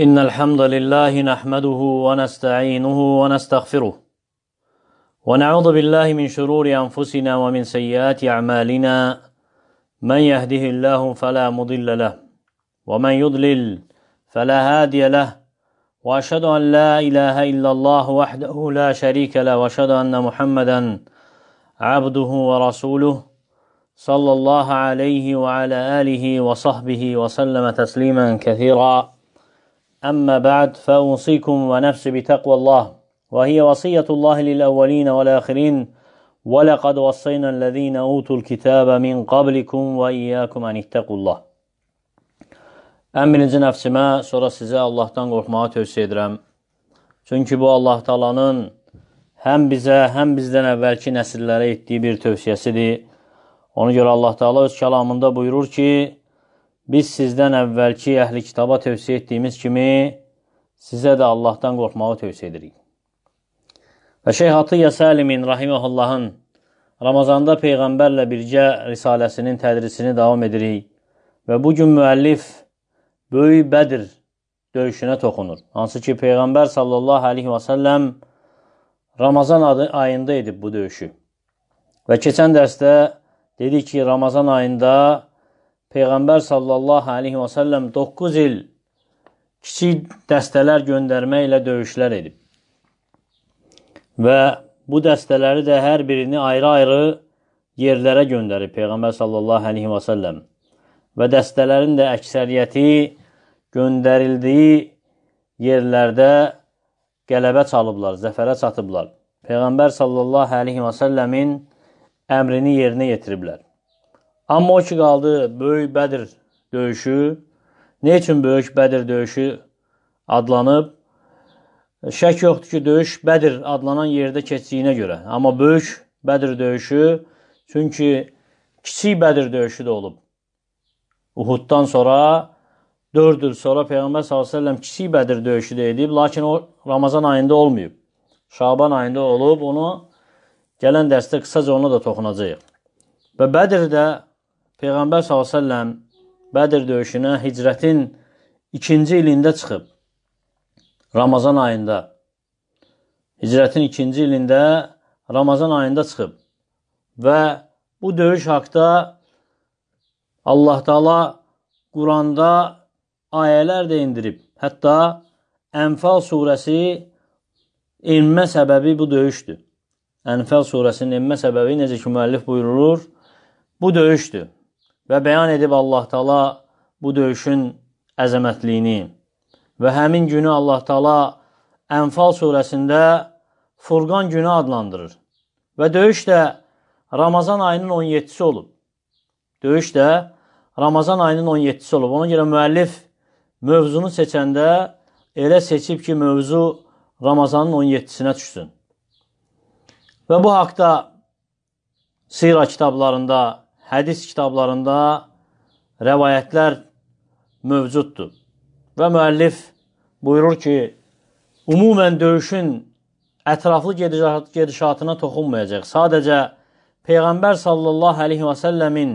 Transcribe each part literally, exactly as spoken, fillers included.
إن الحمد لله نحمده ونستعينه ونستغفره ونعوذ بالله من شرور أنفسنا ومن سيئات أعمالنا من يهده الله فلا مضل له ومن يضلل فلا هادي له وأشهد أن لا إله إلا الله وحده لا شريك له وأشهد أن محمدا عبده ورسوله صلى الله عليه وعلى آله وصحبه وسلم تسليما كثيرا. أما بعد فأوصيكم ونفسي بتقوى الله وهي وصية الله للأولين والآخرين ولقد وصينا الذين أوتوا الكتاب من قبلكم وإياكم أن اتقوا الله. Ən birinci nəfsimə, sonra sizə Allahdan qorxmağı tövsiyə edirəm. Çünki bu Allah Taala'nın həm bizə, həm bizdən əvvəlki nəsillərə etdiyi bir tövsiyəsidir. Ona görə Allah Taala öz kəlamında buyurur ki, biz sizdən əvvəlki əhli kitaba tövsiyə etdiyimiz kimi sizə də Allahdan qorxmağı tövsiyə edirik. Və Şeyx Atiyyə Səlimin rahiməhullahın Ramazanda Peyğəmbərlə birgə risaləsinin tədrisini davam edirik. Və bugün müəllif Böyük Bədir döyüşünə toxunur. Hansı ki, Peyğəmbər sallallahu aleyhi və səlləm Ramazan ayında edib bu döyüşü. Və keçən dərsdə dedik ki, Ramazan ayında Peyğəmbər sallallahu aleyhi və səlləm doqquz il kiçik dəstələr göndərməklə döyüşlər edib. Və bu dəstələri də hər birini ayrı-ayrı yerlərə göndərib Peyğəmbər sallallahu aleyhi və səlləm. Və dəstələrin də əksəriyyəti göndərildiyi yerlərdə qələbə çalıblar, zəfərə çatıblar. Peyğəmbər sallallahu aleyhi və səlləmin əmrini yerinə yetiriblər. Amma o ki qaldı Böyük Bədir döyüşü. Ne üçün Böyük Bədir döyüşü adlanıb? Şək yoxdur ki, döyüş Bədir adlanan yerdə keçdiyinə görə. Amma Böyük Bədir döyüşü, çünki Kiçik Bədir döyüşü də olub. Uhuddan sonra, dörd il sonra Peyğəmbər sallallahu aleyhi və səlləm Kiçik Bədir döyüşü də edib, lakin o Ramazan ayında olmayıb. Şaban ayında olub, onu gələn dərsdə qısaca ona da toxunacaq. Və Bədirdə Peyğəmbər sallallahu aleyhi və səlləm Bədir döyüşünə hicrətin ikinci ilində çıxıb. Ramazan ayında. Hicrətin ikinci ilində Ramazan ayında çıxıb. Və bu döyüş haqda Allah Taala Quranda ayələr də indirib. Hətta Ənfal surəsi enmə səbəbi bu döyüşdür. Ənfal surəsinin enmə səbəbi, necə ki müəllif buyurur, bu döyüşdür. Və bəyan edib Allah Taala bu döyüşün əzəmətliyini. Və həmin günü Allah Taala Ənfal surəsində Furqan günü adlandırır. Və döyüş də Ramazan ayının on yeddisi olub. Döyüş də Ramazan ayının on yeddisi olub. Ona görə müəllif mövzunu seçəndə elə seçib ki, mövzu Ramazanın on yeddisinə düşsün. Və bu haqda sira kitablarında, hədis kitablarında rəvayətlər mövcuddur. Və müəllif buyurur ki, ümumən döyüşün ətraflı gedişatına toxunmayacaq. Sadəcə Peyğəmbər sallallahu aleyhi və səlləmin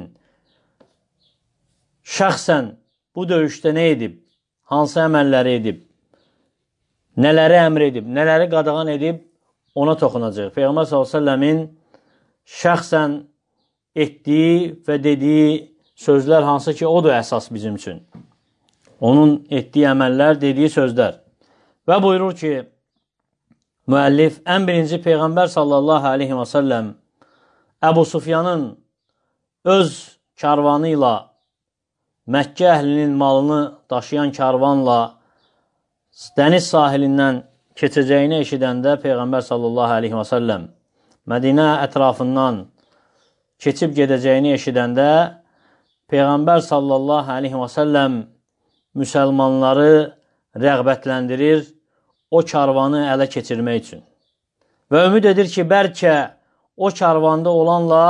şəxsən bu döyüşdə nə edib, hansı əməlləri edib, nələri əmr edib, nələri qadağan edib, ona toxunacaq. Peyğəmbər sallallahu aleyhi və səlləmin şəxsən etdiyi və dediyi sözlər hansı ki, o da əsas bizim üçün. Onun etdiyi əməllər, dediyi sözlər. Və buyurur ki, müəllif, ən birinci Peyğəmbər sallallahu aleyhi və səlləm Əbu Sufyanın öz karvanı ilə, Məkkə əhlinin malını daşıyan karvanla dəniz sahilindən keçəcəyini eşidəndə Peyğəmbər sallallahu aleyhi və səlləm Mədinə ətrafından keçib gedəcəyini eşidəndə Peyğəmbər sallallahu aleyhi və səlləm müsəlmanları rəğbətləndirir o karvanı ələ keçirmək üçün. Və ümid edir ki, bəlkə o karvanda olanla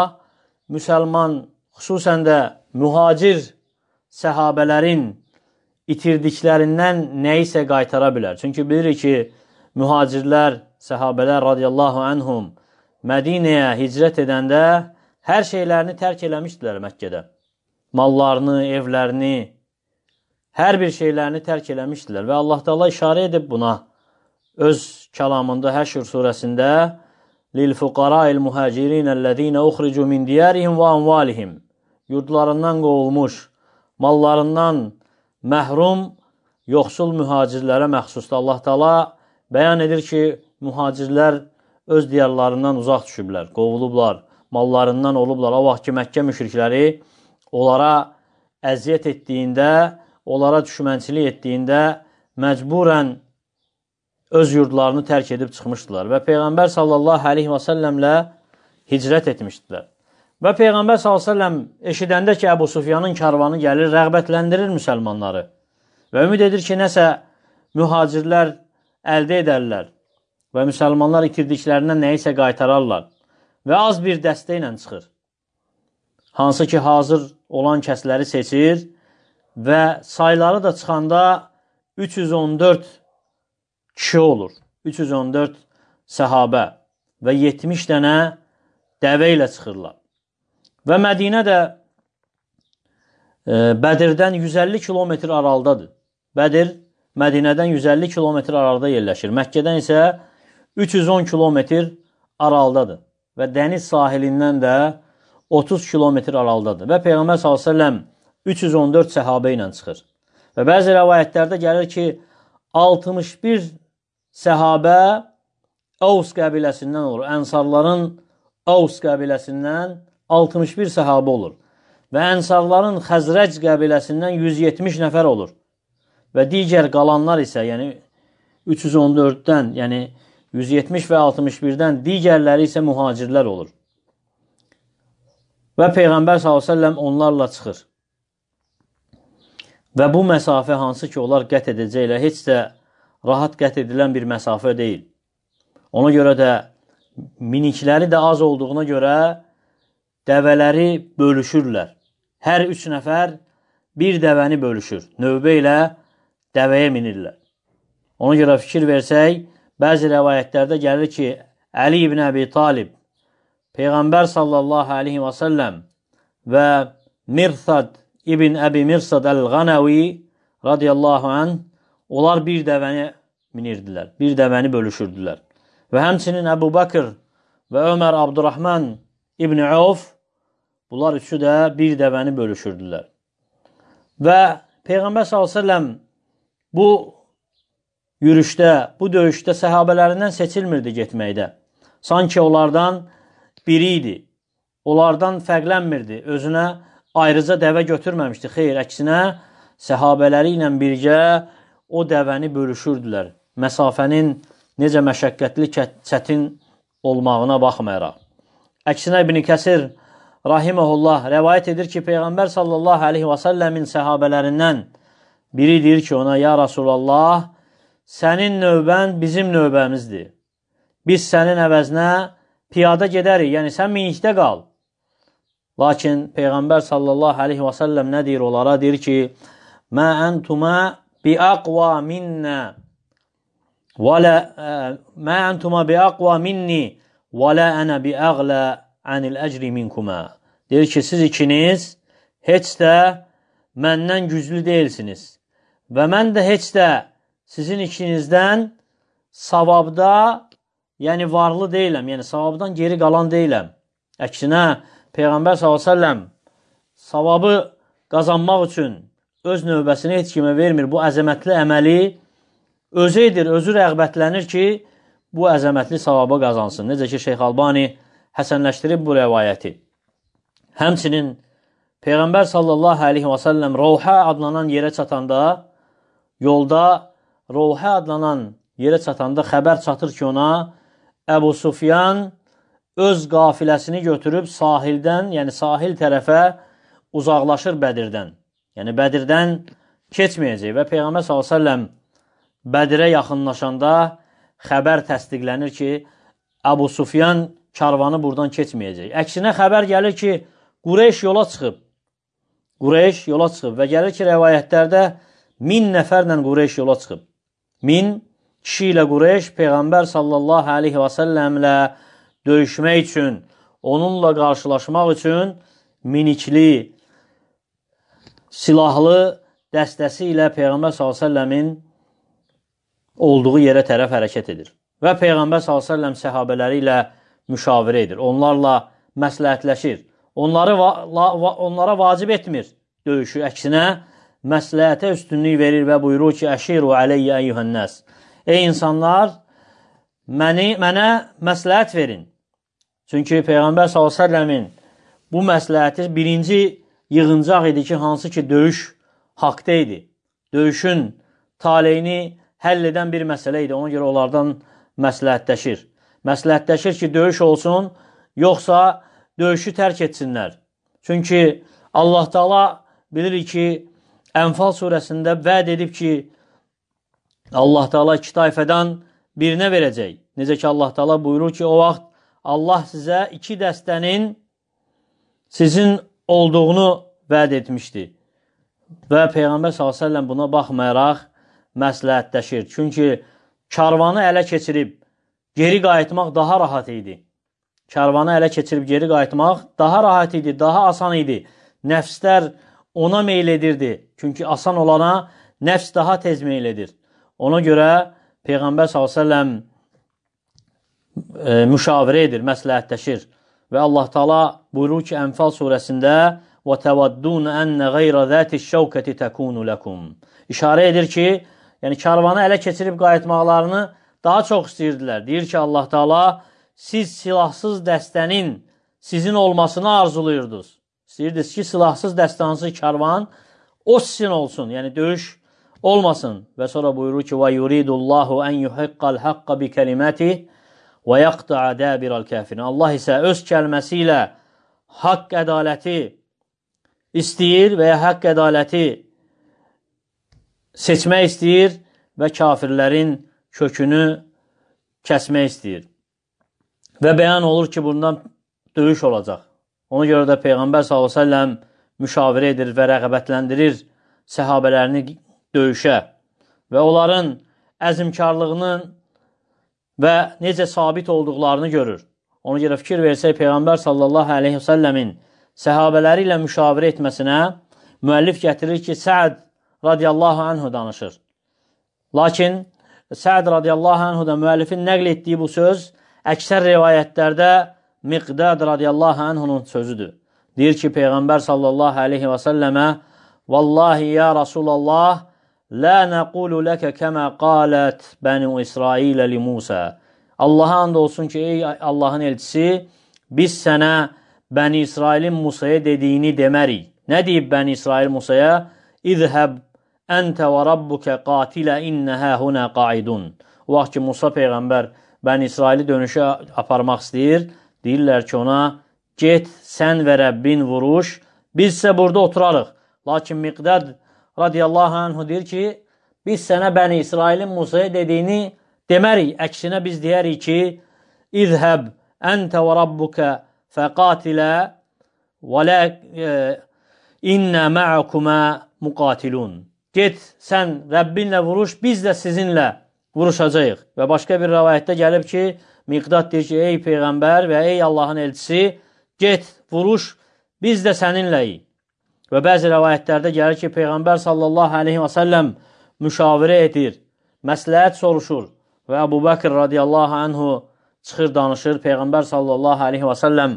müsəlman, xüsusən də mühacir səhabələrin itirdiklərindən nəyisə qaytara bilər. Çünki bilirik ki, mühacirlər, səhabələr radiyallahu anhum Mədinəyə hicrət edəndə hər şeylərini tərk eləmişdilər Məkkədə. Mallarını, evlərini, hər bir şeylərini tərk eləmişdilər və Allah Taala işarə edib buna öz kəlamında Həşr surəsində lil-fuqara'il muhacirinəl-ləzīnə uxricu min diyarihim və amvalihim, yurdlarından qovulmuş, mallarından məhrum, yoxsul mühacirlərə məxsusdur. Allah Taala bəyan edir ki, mühacirlər öz diyarlarından uzaq düşüblər, qovulublar, mallarından olublar. O vaxt ki, Məkkə müşrikləri onlara əziyyət etdiyində, onlara düşmənçilik etdiyində məcburən öz yurdlarını tərk edib çıxmışdılar və Peyğəmbər sallallahu aleyhi və səlləmlə hicrət etmişdilər. Və Peyğəmbər sallallahu aleyhi və səlləm eşidəndə ki, Əbu Sufyanın karvanı gəlir, rəğbətləndirir müsəlmanları və ümid edir ki, nəsə mühacirlər əldə edərlər və müsəlmanlar itirdiklərindən nəyisə qaytararlar və az bir dəstə ilə çıxır. Hansı ki, hazır olan kəsləri seçir və sayları da çıxanda üç yüz on dörd kişi olur. üç yüz on dörd səhabə və yetmiş dənə dəvə ilə çıxırlar. Və Mədinə də e, Bədirdən yüz əlli kilometr aralıdadır. Bədir Mədinədən yüz əlli kilometr aralıda yerləşir. Məkkədən isə üç yüz on kilometr aralıdadır və dəniz sahilindən də otuz kilometr aralıdadır. Və Peyğəmbər sallallahu əleyhi və səlləm üç yüz on dörd səhabə ilə çıxır. Və bəzi rəvayətlərdə gəlir ki, altmış bir səhabə Əvs qəbiləsindən olur. Ənsarların Əvs qəbiləsindən altmış bir səhabə olur. Və Ənsarların Xəzrəc qəbiləsindən yüz yetmiş nəfər olur. Və digər qalanlar isə, yəni üç yüz on dörddən, yəni yüz yetmiş və altmış birdən digərləri isə mühacirlər olur. Və Peyğəmbər sallallahu əleyhi və səlləm onlarla çıxır. Və bu məsafə hansı ki, onlar qət edəcəklər, heç də rahat qət edilən bir məsafə deyil. Ona görə də minikləri də az olduğuna görə dəvələri bölüşürlər. Hər üç nəfər bir dəvəni bölüşür. Növbə ilə dəvəyə minirlər. Ona görə fikir versək, bəzi rəvayətlərdə gəlir ki, Əli ibn Əbi Talib, Peyğəmbər sallallahu aleyhi və səlləm və Mirsad ibn Əbi Mirsad əl-Qanəvi radiyallahu anh, onlar bir dəvəni minirdilər, bir dəvəni bölüşürdülər. Və həmçinin Əbu Bakır və Ömər Abdurrahman ibn Avf, bunlar üçü də bir dəvəni bölüşürdülər. Və Peyğəmbər sallallahu aleyhi və səlləm bu yürüşdə, bu döyüşdə səhabələrindən seçilmirdi getməkdə. Sanki onlardan biri idi. Onlardan fərqlənmirdi. Özünə ayrıca dəvə götürməmişdi. Xeyr, əksinə səhabələri ilə birgə o dəvəni bölüşürdülər. Məsafənin necə məşəqqətli, çətin olmağına baxmayaraq. Əksinə İbn Kəsir rahiməhullah rəvayət edir ki, Peyğəmbər sallallahu aleyhi və səlləmin səhabələrindən biri deyir ki, ona, ya Rasulallah, sənin növbən bizim növbəmizdir. Biz sənin əvəzinə piyada gedərik, yəni sən minikdə qal. Lakin Peyğəmbər sallallahu aleyhi və səlləm nə deyir onlara? Deyir ki, mə əntumə biəqva minnə mə əntumə biəqva minni və lə ənə biəqlə ənil əcri minkümə. Deyir ki, siz ikiniz heç də məndən güclü deyilsiniz və mən də heç də sizin ikinizdən savabda, yəni varlı deyiləm, yəni savabdan geri qalan deyiləm. Əksinə, Peyğəmbər sallallahu aleyhi və səlləm savabı qazanmaq üçün öz növbəsini heç kimə vermir. Bu əzəmətli əməli özü edir, özü rəğbətlənir ki, bu əzəmətli savaba qazansın. Necə ki, Şeyx Albani həsənləşdirib bu rəvayəti. Həmçinin Peyğəmbər sallallahu aleyhi və səlləm Rovhə adlanan yerə çatanda, yolda Rovhə adlanan yerə çatanda xəbər çatır ki, ona Əbu Sufyan öz qafiləsini götürüb sahildən, yəni sahil tərəfə uzaqlaşır Bədirdən. Yəni Bədirdən keçməyəcək və Peyğəmbər sallallahu aleyhi və səlləm Bədirə yaxınlaşanda xəbər təsdiqlənir ki, Əbu Sufyan karvanı buradan keçməyəcək. Əksinə xəbər gəlir ki, Qureyş yola çıxıb. Qureyş yola çıxıb və gəlir ki, rəvayətlərdə min nəfərlə Qureyş yola çıxıb. Min kişi ilə Qureyş Peyğəmbər sallallahu aleyhi və səlləmlə döyüşmək üçün, onunla qarşılaşmaq üçün minikli, silahlı dəstəsi ilə Peyğəmbər sallallahu əleyhi və səlləmin olduğu yerə tərəf hərəkət edir. Və Peyğəmbər sallallahu əleyhi və səlləm səhabələri ilə müşavirə edir. Onlarla məsləhətləşir. Onları va la va onlara vacib etmir döyüşü. Əksinə, məsləhətə üstünlük verir və buyurur ki, əşiru əleyyə əyyuhənnəs. Ey insanlar, məni, mənə məsləhət verin. Çünki Peyğəmbər sallallahu əleyhi və səlləmin bu məsləhəti birinci yığıncaq idi ki, hansı ki, döyüş haqda idi. Döyüşün taleyini həll edən bir məsələ idi. Ona görə onlardan məsləhətləşir. Məsləhətləşir ki, döyüş olsun, yoxsa döyüşü tərk etsinlər. Çünki Allah Taala bilir ki, Ənfal surəsində vəd edib ki, Allah Taala iki tayfədən birinə verəcək. Necə ki, Allah Taala buyurur ki, o vaxt Allah sizə iki dəstənin sizin olduğunu vəd etmişdi. Və Peyğəmbər sallallahu əleyhi və səlləm buna baxmayaraq məsləhətləşir. Çünki karvanı ələ keçirib geri qayıtmaq daha rahat idi. Karvanı ələ keçirib geri qayıtmaq daha rahat idi, daha asan idi. Nəfslər ona meyl edirdi. Çünki asan olana nəfs daha tez meyl edir. Ona görə Peyğəmbər sallallahu əleyhi və səlləm e, müşavirə edir, məsləhətləşir. Və Allah Taala buyurur ki, Ənfal surəsində وَتَوَدُّونَ أَنَّ غَيْرَ ذَاتِ الشَّوْكَةِ تَكُونُ لَكُمْ. İşarə edir ki, yəni karvanı ələ keçirib qayıtmaqlarını daha çox istəyirdilər. Deyir ki, Allah Taala, siz silahsız dəstənin sizin olmasını arzulayırdınız. İstəyirdiniz ki, silahsız dəstənsız karvan o sizin olsun, yəni döyüş olmasın. Və sonra buyurur ki, وَيُرِيدُ اللّٰهُ أَنْ يُحِقَّ الْحَقَّ بِكَلِمَاتِهِ وَيَقْطَعَ دَابِرَ الْكَافِرِينَ. Allah isə öz kəlməsi ilə haqq ədaləti istəyir və ya haqq ədaləti seçmək istəyir və kafirlərin kökünü kəsmək istəyir. Və bəyan olur ki, bundan döyüş olacaq. Ona görə də Peyğəmbər sallallahu əleyhi və səlləm müşavirə edir və rəğbətləndirir səhabələrini döyüşə və onların əzmkarlığının və necə sabit olduqlarını görür. Ona görə fikir versək, Peyğəmbər sallallahu əleyhi və səlləmin səhabələri ilə müşavirə etməsinə müəllif gətirir ki, Səad radiyallahu anhu danışır. Lakin Səad radiyallahu anhu da müəllifin nəql etdiyi bu söz əksər rivayətlərdə Miqdad radiyallahu anhunun sözüdür. Deyir ki, Peyğəmbər sallallahu əleyhi və səlləmə Vallahi ya Rasulallah la nəqulu ləkə kəmə qalət bənu İsrailə li Musa. Allaha and olsun ki, ey Allahın elçisi, biz sənə Bəni İsrailin Musaya dediyini demərik. Nə deyib Bəni İsrail Musaya? İzhəb əntə və rabbukə qatilə innəhə hunə qaidun. O vaxt ki, Musa Peyğəmbər Bəni İsraili dönüşə aparmaq istəyir. Deyirlər ki, ona, get sən və Rəbbin vuruş, biz isə burada oturarıq. Lakin Miqdad radiyallahu anhu deyir ki, biz sənə Bəni İsrailin Musaya dediyini demərik. Əksinə biz deyərik ki, İzhəb əntə və rabbukə fəqatilə və lə innə mə'akumə muqatilun. Get, sən Rəbbinlə vuruş, biz də sizinlə vuruşacağıq. Və başqa bir rəvayətdə gəlib ki, Miqdad deyir ki, ey Peyğəmbər və ey Allahın elçisi, get, vuruş, biz də səninləyik. Və bəzi rəvayətlərdə gəlir ki, Peyğəmbər sallallahu aleyhi və səlləm müşavirə edir, məsləhət soruşur və Əbu Bəkr radiyallahu anhu çıxır, danışır. Peyğəmbər sallallahu aleyhi və səlləm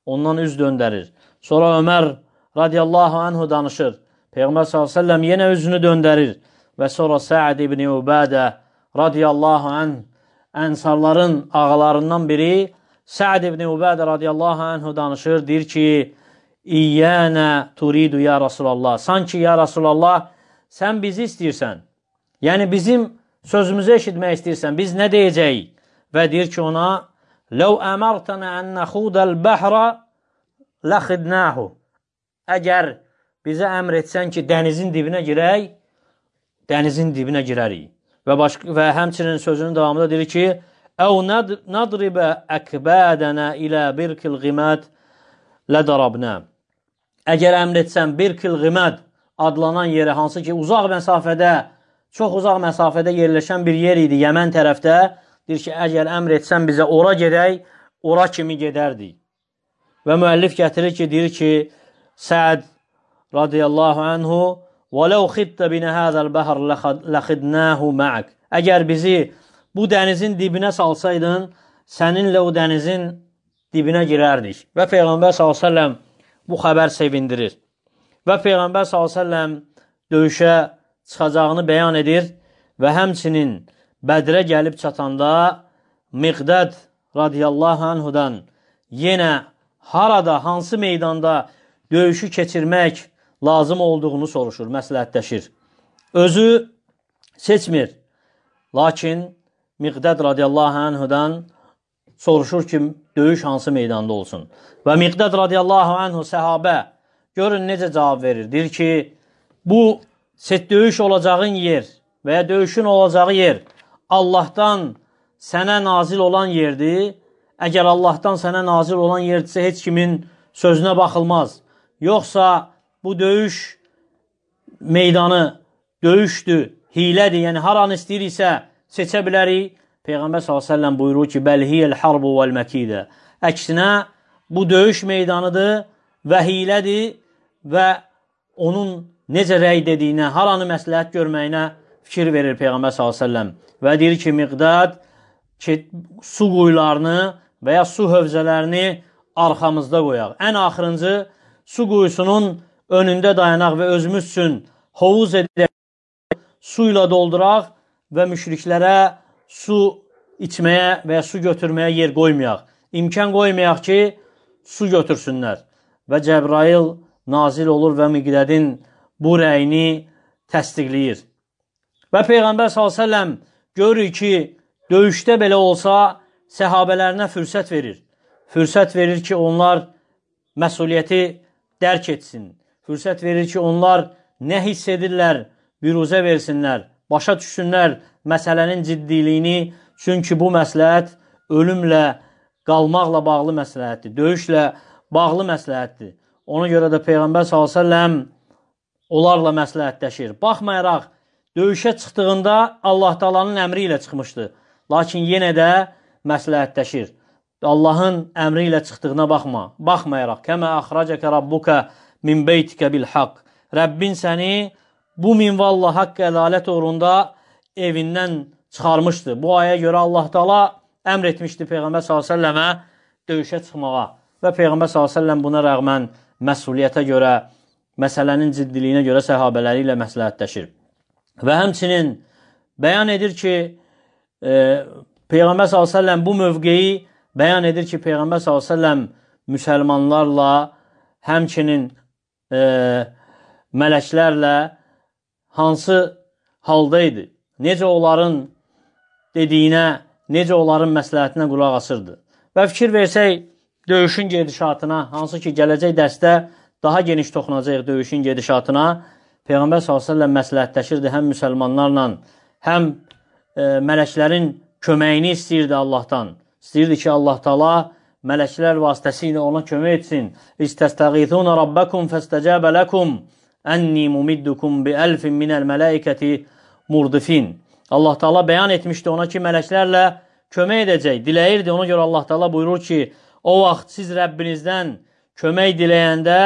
ondan üz döndərir. Sonra Ömər radiyallahu anhu danışır. Peyğəmbər sallallahu aleyhi və səlləm yenə üzünü döndərir. Və sonra Səad ibn Ubadə radiyallahu anh, ənsarların ağalarından biri Səad ibn Ubadə radiyallahu anhu danışır. Deyir ki, İyyənə turidu ya Rasulallah. Sanki ya Rasulallah, sən bizi istəyirsən. Yəni bizim sözümüzü eşitmək istəyirsən. Biz nə deyəcəyik? Və deyir ki ona, Ləv əmərtənə ən nəxudəl bəhrə ləxidnəhu. Əgər bizə əmr etsən ki, dənizin dibinə girək, dənizin dibinə girərik. Və, başqa, və həmçinin sözünün davamında deyir ki, Əv nadribə əkbədənə ilə birkil qiməd lədarabnə. Əgər əmr etsən birkil qiməd adlanan yeri, hansı ki, uzaq məsafədə, çox uzaq məsafədə yerləşən bir yer idi, Yəmən tərəfdə, deyir ki, əgər əmr etsən bizə ora gedək, ora kimi gedərdik. Və müəllif gətirir ki, deyir ki, Səad radiyallahu anhu وَلَوْ خِدْتَ بِنَ هَذَا الْبَحْرِ لَخِدْنَاهُ مَعَكَ Əgər bizi bu dənizin dibinə salsaydın, səninlə o dənizin dibinə girərdik. Və Peyğəmbər sallallahu əleyhi və səlləm bu xəbər sevindirir. Və Peyğəmbər sallallahu əleyhi və səlləm döyüşə çıxacağını bəyan edir və həmçinin Bədrə gəlib çatanda Miqdad radiyallahu anhudan yenə harada, hansı meydanda döyüşü keçirmək lazım olduğunu soruşur, məsləhətləşir. Özü seçmir. Lakin Miqdad radiyallahu anhudan soruşur ki, döyüş hansı meydanda olsun. Və Miqdad radiyallahu anhu səhabə görün necə cavab verir. Deyir ki, bu set döyüş olacağın yer və ya döyüşün olacağı yer Allahdan sənə nazil olan yerdir. Əgər Allahdan sənə nazil olan yerdirsə, heç kimin sözünə baxılmaz. Yoxsa bu döyüş meydanı döyüşdür, hilədir, yəni haranı istəyiriksə seçə bilərik. Peyğəmbər sallallahu əleyhi və səlləm buyurur ki, bəlhiyəl harbu vəl məkidə. Əksinə, bu döyüş meydanıdır və hilədir və onun necə rəy dediyinə, haranı məsləhət görməyinə fikir verir Peyğəmbər sallallahu əleyhi və səlləm. Və deyir ki, Miqdad su quyularını və ya su hövzələrini arxamızda qoyaq. Ən axırıncı su quyusunun önündə dayanaq və özümüz üçün hovuz edək, su ilə dolduraq və müşriklərə su içməyə və ya su götürməyə yer qoymayaq. İmkan qoymayaq ki, su götürsünlər. Və Cəbrail nazil olur və Miqdadın bu rəyini təsdiqləyir. Və Peyğəmbər sallallahu əleyhi və səlləm görür ki, döyüşdə belə olsa, səhabələrinə fürsət verir. Fürsət verir ki, onlar məsuliyyəti dərk etsin. Fürsət verir ki, onlar nə hiss edirlər, büruzə versinlər, başa düşsünlər məsələnin ciddiliyini. Çünki bu məsləhət ölümlə, qalmaqla bağlı məsləhətdir, döyüşlə bağlı məsləhətdir. Ona görə də Peyğəmbər sallallahu əleyhi və səlləm onlarla məsləhətləşir. Baxmayaraq, döyüşə çıxdığında Allah Taala'nın əmri ilə çıxmışdı. Lakin yenə də məsləhətləşir. Allahın əmri ilə çıxdığına baxma. Baxmayaraq, kəmə əxrəcəkə rabbuka min beytikə bil haqq. Rəbbin səni bu minvalla haqq ədalət uğrunda evindən çıxarmışdı. Bu aya görə Allah Taala əmr etmişdi Peyğəmbər sallallahu əleyhi və səlləmə döyüşə çıxmağa. Və Peyğəmbər sallallahu əleyhi və səlləm buna rəğmən məsuliyyətə görə, məsələnin ciddiliyinə görə səhabələri ilə məsləhətləşir. Və həmçinin bəyan edir ki, e, Peyğəmbər sallallahu əleyhi və səlləm bu mövqeyi bəyan edir ki, Peyğəmbər sallallahu əleyhi və səlləm müsəlmanlarla, həmçinin e, mələklərlə hansı halda idi? Necə onların dediyinə, necə onların məsləhətinə qulaq asırdı? Və fikir versək, döyüşün gedişatına, hansı ki, gələcək dərsdə daha geniş toxunacaq döyüşün gedişatına, Peyğəmbər sallallahu əleyhi və səlləm məsləhətləşirdi həm müsəlmanlarla, həm e, mələklərin köməyini istəyirdi Allahdan. İstəyirdi ki, Allah Taala mələklər vasitəsilə ona kömək etsin. İstəstəğithunə rabbəkum fəstəcəbə ləkum ənni mumiddukum bi əlfin minəl mələikəti murdifin. Allah Taala bəyan etmişdi ona ki, mələklərlə kömək edəcək, diləyirdi. Ona görə Allah Taala buyurur ki, o vaxt siz Rəbbinizdən kömək diləyəndə,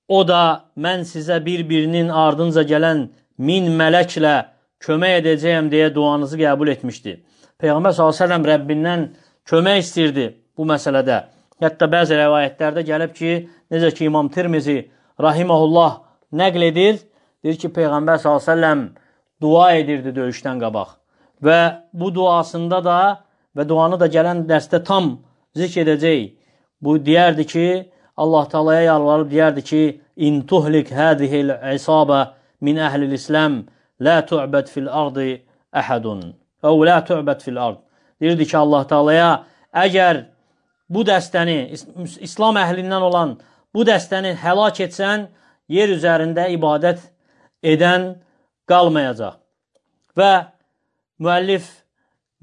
o da mən sizə bir-birinin ardınca gələn min mələklə kömək edəcəyəm deyə duanızı qəbul etmişdi. Peyğəmbər sallallahu əleyhi və səlləm Rəbbindən kömək istirdi bu məsələdə. Hətta bəzi rəvayətlərdə gəlib ki, necə ki İmam Tirmizi rahiməhullah nəql edir, deyir ki, Peyğəmbər sallallahu əleyhi və səlləm dua edirdi döyüşdən qabaq. Və bu duasında da və duanı da gələn dərsdə tam zikr edəcək. Bu deyərdi ki, Allah Taala'ya yalvarıb deyərdi ki, in tuhlik hadihil isabə min əhlil İslam la tu'bad fil ardı əhədun. Əv la tu'bad fil ard. Deyirdi ki, Allah Taala'ya əgər bu dəstəni, İslam əhlindən olan bu dəstəni həlak etsən, yer üzərində ibadət edən qalmayacaq. Və müəllif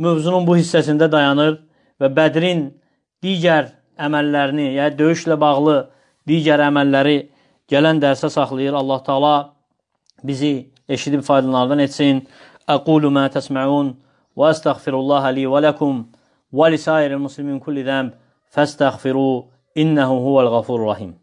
mövzunun bu hissəsində dayanır və Bədrin digər əməllərini, yəni döyüşlə bağlı digər əməlləri gələn dərsə saxlayır. Allah Taala bizi eşidib faydalardan etsin. Əqulu mə təsməun və əstəğfirullaha li və ləkum və lisairil muslimin kulli zəmb fəstəğfiru innəhu huvəl ğafurur rahim.